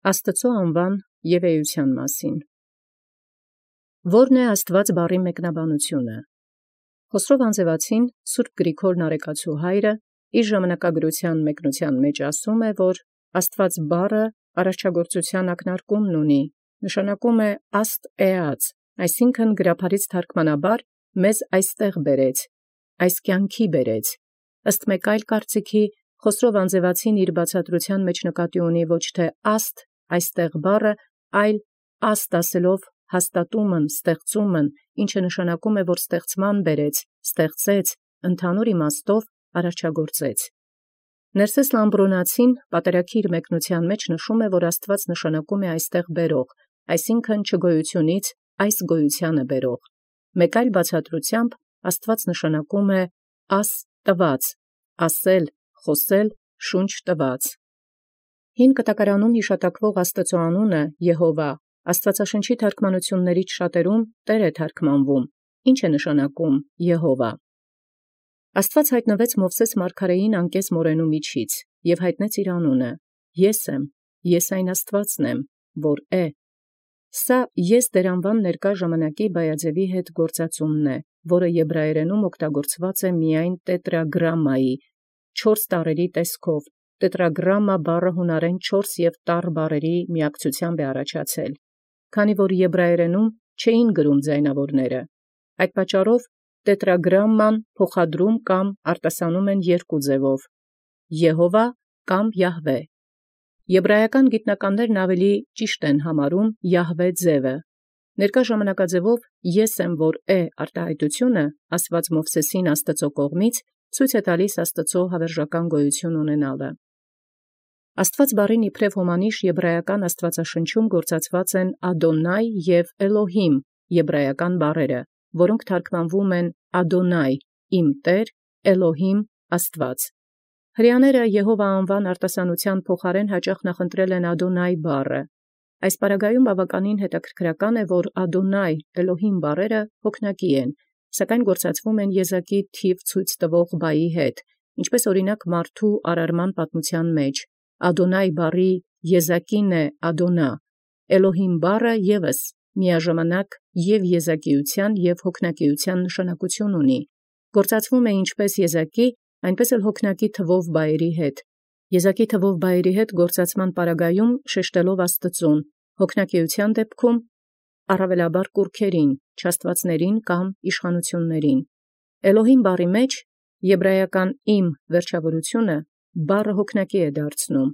Աստուծոյ անուան և էութեան մասին։ Ո՞րն է Աստուած բառին մեկնաբանութիւնը։ Խոսրով անձեւացին Սուրբ Գրիգոր Նարեկացու հայրը իր ժամանակագրութեան մեկնութեան մեջ ասէ, որ Աստուած բառը արարչագործութեան ակնարկումն ունի, նշանակում է աստ էած, այսինքն գրաբարից թարգմանաբար մեզ այստեղ բերեց, այս կյանքի բերեց, ըստ մեկ այլ կարծիքի Խոսրով անձեւացին իր բացատրութեան մեջ նկատի ունի ոչ թե աստ այստեղ բառը, այլ աստ ասելով հաստատումն, ստեղծումն, ինչը նշանակում է, որ ստեղծման բերեց, ստեղծեց, ընդհանուր իմաստով արարչագործեց։ Ներսես Լամբրոնացին պատերակիր մեկնութեան մեջ նշում է, որ Աստուած նշանակում է այստեղ բերող, այսինքն չգոյութիւնից այս գոյութեանը բերող։ Մեկ այլ բացատրութեամբ Աստուած նշանակում է աս տված, ասել, խոսել, շունչ տված։ Հին կտակարանում յիշատակվող Աստուծոյ անունը Եհովա Աստուածաշնչի թարգմանութիւններից շատերուն Տէր է թարգմանվում, ինչ է նշանակում Եհովա։ Աստուած յայտնվեց Մովսէս մարգարէին անկէս մորենու միջից և յայտնեց իր անունը. Ես եմ, ես այն Աստուածն եմ, որ է։ Սա ես դերանուան ներկա ժամանակի Բայազեւի հետ գործածումն է, որը եբրայերենում օգտագործված է միայն տետրագրամմայի, 4 տառերի տեսքով, տետրագրամմա բառը հունարեն 4 և տառ բառերի միակցութեամբ է առաջացել, քանի որ եբրայերենում չէին գրում ձայնաւորները։ Այդ պատճառով տետրագրամման փոխադրում կամ արտասանում են երկու ձևով՝ Եհովա կամ Յահվե։ Եբրայական գիտնականներն ավելի ճիշտ են համարում Յահվե ձևը։ Ներկա ժամանակաձևով «Ես եմ, որ է» արտահայտութիւնը ասված Մովսէսին Աստուծոյ կողմից ցույց է տալիս Աստուծոյ հավերժական գոյութիւն ունենալը։ Աստուած բառին իբրև հոմանիշ եբրայական աստուածաշնչում գործածված են Ադոնայ և Էլոհիմ եբրայական բառերը, որոնք թարգմանվում են Ադոնայ, իմ Տէր, Էլոհիմ, Աստուած։ Հրեաները Եհովա անուան արտասանութեան փոխարեն հաճախ նախընտրել են Ադոնայ բառը։ Այս պարագայում բավականին հետաքրքրական է, որ Ադոնայ, Էլոհիմ բառերը հոգնակի են, սակայն գործածվում են եզակի թիվ ցույց տվող բայի հետ, ինչպես օրինակ մարդու արարման պատմութեան մեջ։ Ադոնայ բառի եզակին է Ադոնա, Էլոհիմ բառը ևս միաժամանակ և եզակիութեան և հոգնակիութեան նշանակութիւն ունի, գործածվում է ինչպես եզակի, այնպես էլ հոգնակի թվով բայերի հետ։ Եզակի թվով բայերի հետ գործածման պարագայում շեշտելով Աստուծուն, հոգնակիութեան դեպքում առավելաբար կուռքերին, չաստուածներին կամ իշխանութիւններին։ Էլոհիմ բառի մեջ եբրայական իմ վերջավորությունը բառը հոգնակի է դարձնում։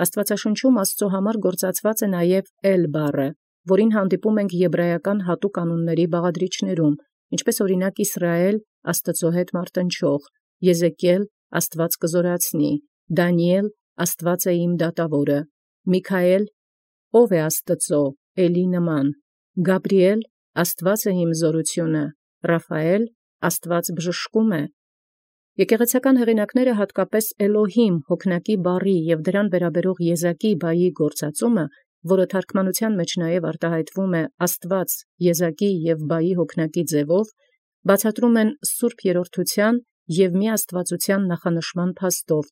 Աստուածաշնչում Աստուծոյ համար գործածված է նաև Էլ բառը, որին հանդիպում ենք եբրայական հատուկ անունների բաղադրիչներում, ինչպես օրինակ Իսրայել Աստուծոյ հետ մարտնչող, Եզեկիել Աստուած կզորացնի, Դանիել Աստուած է իմ դատաւորը, Միքայել ով է Աստուծոյ Էլի նման, Գաբրիել Աստուած է իմ զորութիւնը, Ռաֆայել Աստուած բժշկում է։ Եկեղեցական հեղինակները հատկապես Էլոհիմ հոգնակի բառի և դրան վերաբերող եզակի բայի գործածումը, որը թարգմանութեան մեջ նաև արտահայտվում է Աստուած եզակի և բայի հոգնակի ձևով, բացատրում են սուրբ երրորդութեան և միաստուածութեան նախանշման փաստով,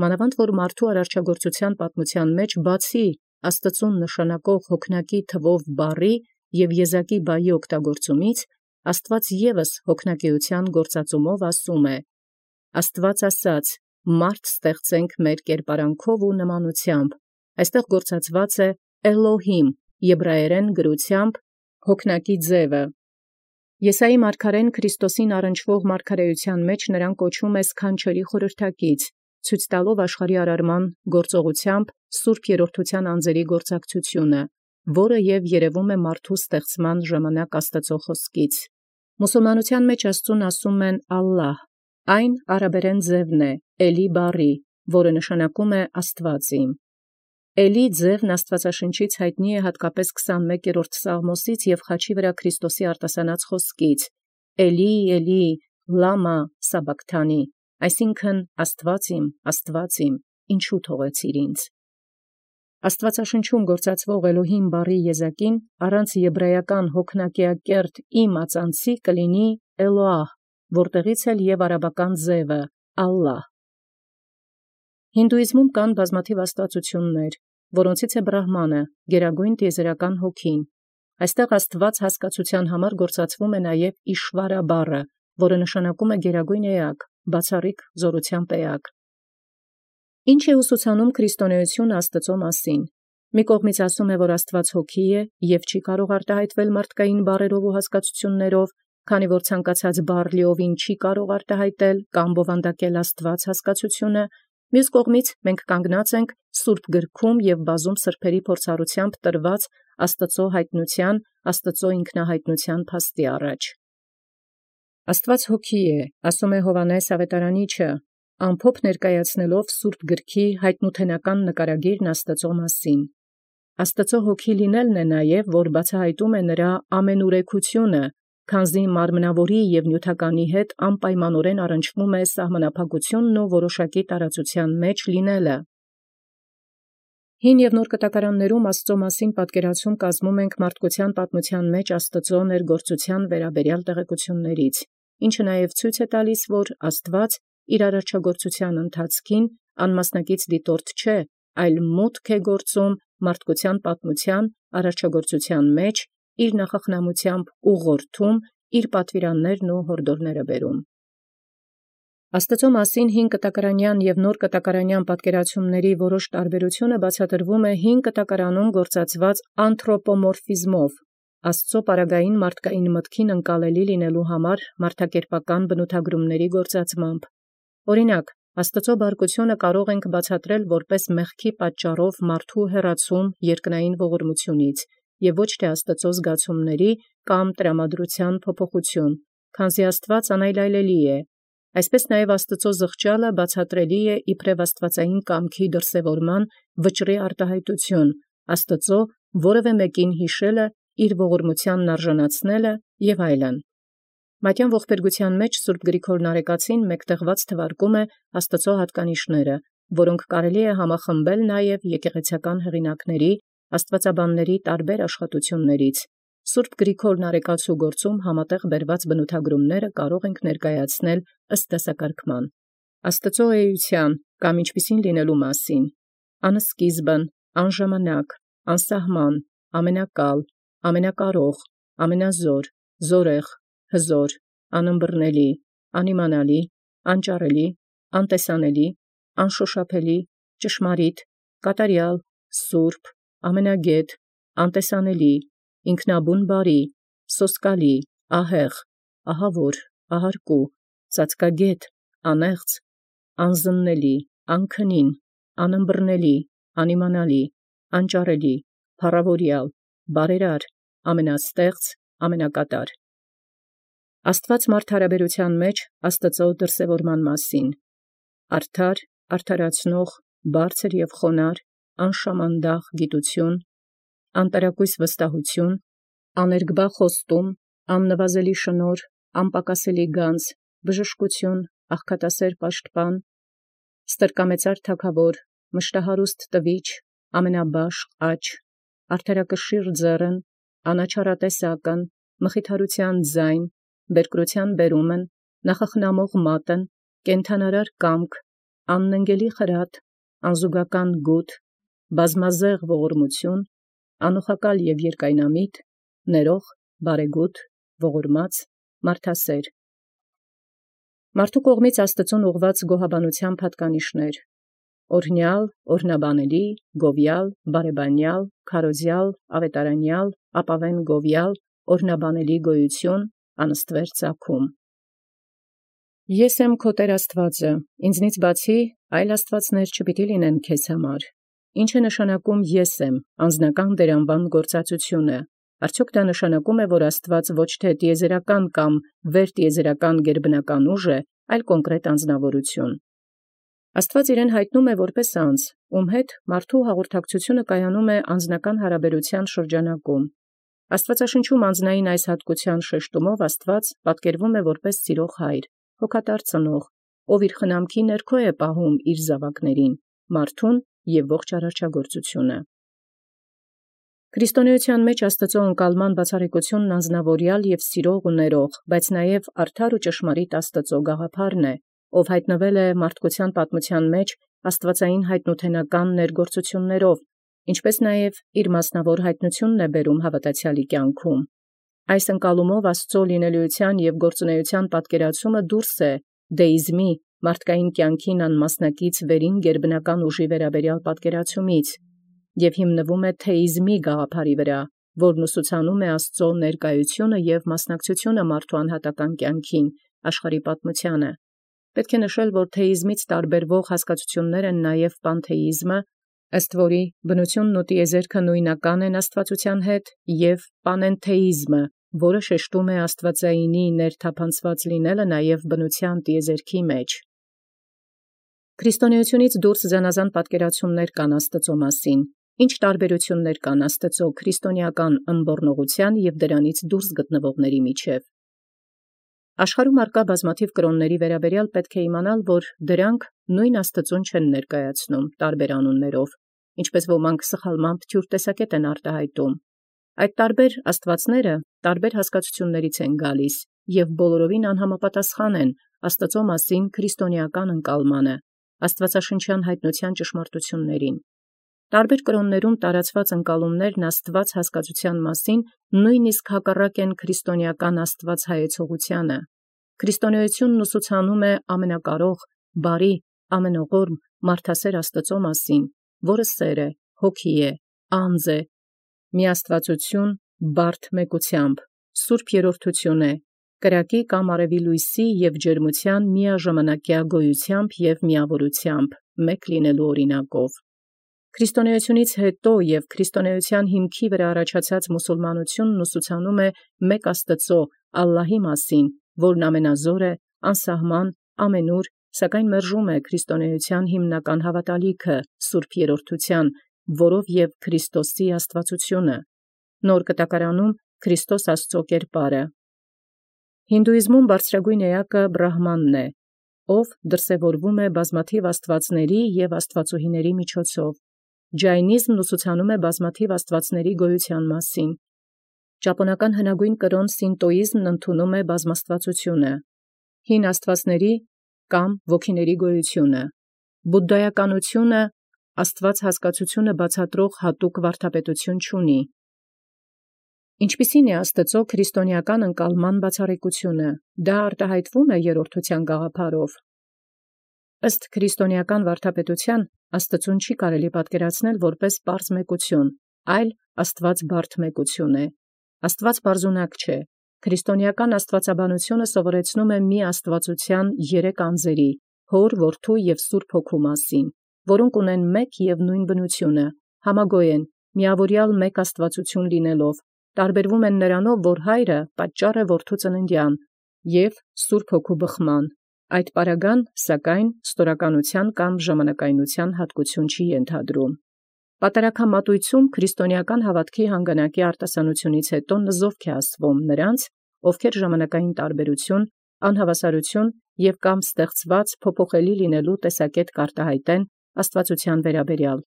մանավանդ որ մարդու արարչագործութեան պատմութեան մեջ բացի Աստուծուն նշանակող հոգնակի թվով բառի և եզակի բայի օգտագործումից, Աստուած ևս հոգնակիութեան գործածումով ասում է. Աստուած ասաց. «Մարդ ստեղծենք մեր կերպարանքով ու նմանութեամբ»։ Այստեղ գործածված է Էլոհիմ եբրայերեն գրութեամբ հոգնակի ձևը։ Եսայի մարգարեն Քրիստոսին առնչվող մարգարեութեան մեջ նրան կոչում է սքանչելի խորհրդակից, ցույց տալով աշխարհի արարման գործողութեամբ սուրբ երրորդութեան անձերի գործակցությունը, որը և երևում է մարդու ստեղծման ժամանակ Աստուծոյ խոսքից։ Մուսուլմանութեան մեջ Աստծուն ասում են Ալլահ, այն արաբերեն ձևն է Էլի բառի, որը նշանակում է Աստուած իմ։ Էլի ձևն Աստուածաշնչից յայտնի է հատկապես 21-րդ Սաղմոսից և խաչի վրա Քրիստոսի արտասանած խոսքից. Էլի, Էլի, լամա սաբակթանի, այսինքն Աստուած իմ, ինչու թողեցիր ինձ։ Աստուածաշնչում գործածվող Էլոհիմ բառի եզակին առանց եբրայական հոգնակեակերտ իմ ածանցի կլինի Էլոահ, որտեղից էլ և արաբական ձևը Ալլահ։ Հինդուիզմում կան բազմաթիվ աստուածություններ, որոնցից է Բրահմանը, գերագույն տիեզերական հոգին։ Այստեղ Աստուած հասկացության համար գործածվում է նաև Իշվարա բառը, որը նշանակում է գերագույն էակ, բացառիկ զորութեան էակ։ Ինչ է ուսուցանում քրիստոնեությունը Աստծո մասին։ Մի կողմից ասում է, որ Աստված հոգի է և չի կարող արտահայտվել մարդկային բառերով ու հասկացություններով, քանի որ ցանկացած բառ լիովին չի կարող արտահայտել կամ բովանդակել Աստված հասկացությունը, մյուս կողմից մենք կանգնած ենք Սուրբ գրքում և բազում սրբերի փորձառությամբ տրված Աստծո հայտնության, Աստծո ինքնահայտնության փաստի առաջ։ Աստված հոգի է, ասում է Հովհաննես Ավետարանիչը, ամփոփ ներկայացնելով Սուրբ գրքի հայտնութենական նկարագիրն Աստծո մասին։ Աստծո հոգի լինելն է նաև, որ բացահայտում է նրա ամենուրեքությունը, քանզի մարմնավորի և նյութականի հետ անպայմանորեն առնչվում է սահմանափակությունն ու որոշակի տարածության մեջ լինելը։ Հին և նոր կտակարաններում Աստծո մասին պատկերացում կազմում ենք մարդկության պատմության մեջ Աստծո ներգործության վերաբերյալ տեղեկություններից, ինչը նաև ցույց է տալիս, որ Աստված իր արարչագործության ընթացքին անմասնակից դիտորդ չէ, այլ մուտք է գործում մարդկության պատմության արարչագործության մեջ, իր նախախնամությամբ ուղղորդում, իր պատվիրաններն ու հորդորները բերում։ Աստծո մասին հին կտակարանյան և նոր կտակարանյան պատկերացումների որոշ տարբերությունը բացատրվում է հին կտակարանում գործածված անթրոպոմորֆիզմով, Աստծո պարագային մարդկային մտքին ընկալելի լինելու համար մարդակերպական բնութագրումների գործածմամբ։ Օրինակ, Աստծո բարկությունը կարող ենք բացատրել որպես մեղքի պատճառով մարդու հեռացում երկնային ողորմությունից և ոչ թե Աստծո զգացումների կամ տրամադրության փոփոխություն, քանզի Աստված անայլայլելի է։ Այսպես նաև Աստծո զղջալը բացատրելի է իբրև աստվածային կամքի դրսևորման վճռի արտահայտություն, Աստծո որևէ մեկին հիշելը, իր ողորմությանն արժանացնելը և այլն։ Մատյան ողբերգության մեջ Սուրբ Գրիգոր Նարեկացին մեկտեղված թվարկում է Աստծո հատկանիշները, որոնք կարելի է համախմբել նաև եկեղեցական հեղինակների, աստվածաբանների տարբեր աշխատություններից։ Սուրբ Գրիգոր Նարեկացու գործում համատեղ բերված բնութագրումները կարող ենք ներկայացնել ըստ դասակարգման։ Աստծո էության կամ ինչպիսին լինելու մասին. անսկիզբն, անժամանակ, անսահման, ամենակալ, ամենակարող, ամենազոր, զորեղ, հզոր, անըմբռնելի, անիմանալի, անճառելի, անտեսանելի, անշոշափելի, ճշմարիտ, կատարյալ, սուրբ, ամենագետ, անտեսանելի, ինքնաբուն բարի, սոսկալի, ահեղ, ահավոր, ահարկու, ծածկագետ, անեղծ, անզննելի, անքնին, անըմբռնելի, անիմանալի, անճառելի, փառավորյալ, բարերար, ամենաստեղծ, ամենակատար։ Աստված մարդ հարաբերութեան մեջ Աստծո դրսևորման մասին. արդար, արդարացնող, բարձր և խոնար, անշամանդախ գիտություն, անտարակույս վստահություն, աներկբա խոստում, աննվազելի շնորհ, անպակասելի գանձ, բժշկություն, աղքատասեր պաշտպան, ստրկամեծար թագավոր, մշտահարուստ տվիչ, ամենաբաշխ աջ, արդարակշիռ ձեռն, անաչառատեսակն, մխիթարութեան ձայն, բերկրութեան բերումն, նախախնամող մատն, կենդանարար կամք, անննգելի խրատ, անզուգական գութ, բազմազեղ ողորմություն, անուխակալ և երկայնամիտ, ներող, բարեգութ, ողորմած, մարդասեր։ Մարդու կողմից Աստծուն ուղղված գոհաբանության հատկանիշներ. օրհնյալ, օրհնաբանելի, գովյալ, բարեբանյալ, քարոզյալ, ավետարանյալ, ապավեն գովյալ, օրհնաբանելի գոյություն, անստվեր ծագում։ Ես եմ քո Տեր Աստուածը, ինձնից բացի այլ աստվածներ չպիտի լինեն քեզ համար։ Ինչ է նշանակում ես եմ, անձնական դերանվան գործածությունը։ Արդյոք դա նշանակում է, որ Աստված ոչ թե տիեզերական կամ վերտիեզերական գերբնական ուժ է, այլ կոնկրետ անձնավորություն։ Աստված իրեն հայտնում է որպես անձ, ում հետ մարդու հաղորդակցությունը կայանում է անձնական հարաբերության շրջանակում։ Աստվածաշնչում անձնային այս հատկության շեշտումով Աստված պատկերվում է որպես սիրող հայր, հոգատար ծնող, ով իր խնամքի ներքո է պահում իր զաւակներին, մարդուն և ողջ արարչագործությունը։ Քրիստոնեության մեջ Աստծո ընկալման բացառիկությունն անձնավորյալ և սիրող ու ներող, բայց նաև արդար ու ճշմարիտ Աստծո գաղափարն է, ով հայտնվել է մարդկության պատմության մեջ աստվածային հայտնութենական ներգործություններով, Ինչպես նաև իր մասնավոր հայտնությունն է բերում հավատացյալի կյանքում։ Այս ընկալումով Աստուծո լինելիության և գործունեության պատկերացումը դուրս է դեիզմի մարդկային կյանքին անմասնակից վերին գերբնական ուժի վերաբերյալ պատկերացումից և հիմնվում է թեիզմի գաղափարի վրա, որն ուսուցանում է Աստուծո ներկայությունը և մասնակցությունը մարդու անհատական կյանքին, աշխարհի պատմությանը։ Պետք է նշել, որ թեիզմից տարբերվող հասկացություններ են նաև պանթեիզմը, ըստ որի բնությունն ու տիեզերքը նույնական են աստվածության հետ, և պանենթեիզմը, որը շեշտում է աստվածայինի ներթափանցված լինելը նաև բնության տիեզերքի մեջ։ Քրիստոնեությունից դուրս զանազան պատկերացումներ կան Աստծո մասին, ինչ տարբերություններ կան Աստծո քրիստոնեական ըմբոռնողության և դրանից դուրս գտնվողների միջև։ Աշխարհում առկա բազմաթիվ կրոնների վերաբերյալ պետք է իմանալ, որ դրանք նույն Աստծուն չեն ներկայացնում տարբեր անուններով, ինչպես ոմանք սխալմամբ թյուր տեսակետ են արտահայտում։ Այդ տարբեր աստվածները տարբեր հասկացություններից են գալիս և բոլորովին անհամապատասխան են Աստծո մասին քրիստոնեական ընկալմանը, աստվածաշնչյան հայտնության ճշմարտություններին։ Տարբեր կրոններում տարածված ընկալումներն Աստված հասկացության մասին նույնիսկ հակառակ են քրիստոնեական Աստված հայեցողությանը։ Քրիստոնեությունն ուսուցանում է ամենակարող, բարի, ամենօղորմ, մարդասեր Աստծո մասին, որը սեր է, հոգի է, անձ է, միաստվածություն, բարդ մեկությամբ, սուրբ երրորդություն է, կրակի կամ արևի լույսի և ջերմության միաժամանակյա գոյությամբ և միավորությամբ, մեկ լինելու օրինակով։ Քրիստոնեությունից հետո և քրիստոնեության հիմքի վրա առաջացած մուսուլմանությունն ուսուցանում է մեկ Աստծո, Ալլահի մասին, որն ամենազոր է, անսահման, ամենուր, սակայն մերժում է քրիստոնեության հիմնական հավատալիքը, սուրբ երրորդության, որով և Քրիստոսի աստվածությունը, նոր կտակարանում Քրիստոս Աստծո կերպարը։ Հինդուիզմում բարձրագույն էակը Բրահմանն է, ով դրսևորվում է բազմաթիվ աստվածների և աստվածուհիների միջոցով։ Ջայնիզմն ուսուցանում է բազմաթիվ աստվածների գոյության մասին։ Ճապոնական հնագույն կրոն սինտոիզմն ընդունում է բազմաստվածությունը, հին աստվածների կամ ոգիների գոյությունը։ Բուդդայականությունը աստված հասկացությունը բացատրող հատուկ վարդապետություն չունի։ Ինչպիսի՞ն է Աստծո քրիստոնեական ընկալման բացառիկությունը։ Դա արտահայտվում է երրորդության գաղափարով։ Ըստ քրիստոնեական վարդապետության Աստծուն չի կարելի պատկերացնել որպես պարզ մեկություն, այլ Աստված բարդ մեկություն է։ Աստված պարզունակ չէ։ Քրիստոնեական աստվածաբանությունը սովորեցնում է մի աստվածության երեք անձերի՝ Հոր, Որդու և Սուրբ Հոգու մասին, որոնք ունեն մեկ և նույն բնությունը, համագոյ են, միավորյալ մեկ աստվածություն լինելով, տարբերվում են նրանով, որ Հայրը պատճառ է Որդու ծննդյան և Սուրբ Հոգու բխման։ Այդ պարագան, սակայն, ստորականության կամ ժամանակայնության հատկություն չի ենթադրում։ Պատարագամատույցում քրիստոնեական հավատքի հանգանակի արտասանությունից հետո նզովք է ասվում նրանց, ովքեր ժամանակային տարբերություն, անհավասարություն և կամ ստեղծված փոփոխելի լինելու տեսակետ կարտահայտեն աստվածության վերաբերյալ։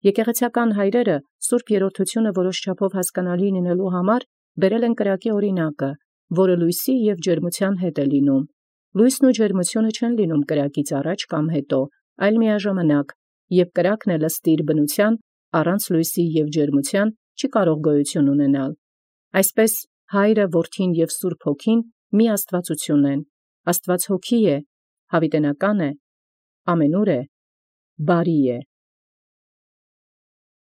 Եկեղեցական հայրերը Սուրբ Երրորդությունը որոշ չափով հասկանալի լինելու համար բերել են կրակի օրինակը, որը լույսի և ջերմության հետ է լինում։ Լույսն ու ջերմությունը չեն լինում կրակից առաջ կամ հետո, այլ միաժամանակ, և կրակն էլ ըստ իր բնության առանց լույսի և ջերմության չի կարող գոյություն ունենալ։ Այսպես Հայրը, Որդին և Սուրբ Հոգին մի աստվածություն են։ Աստված Հոգի է, հավիտենական է, ամենուր է, բարի է։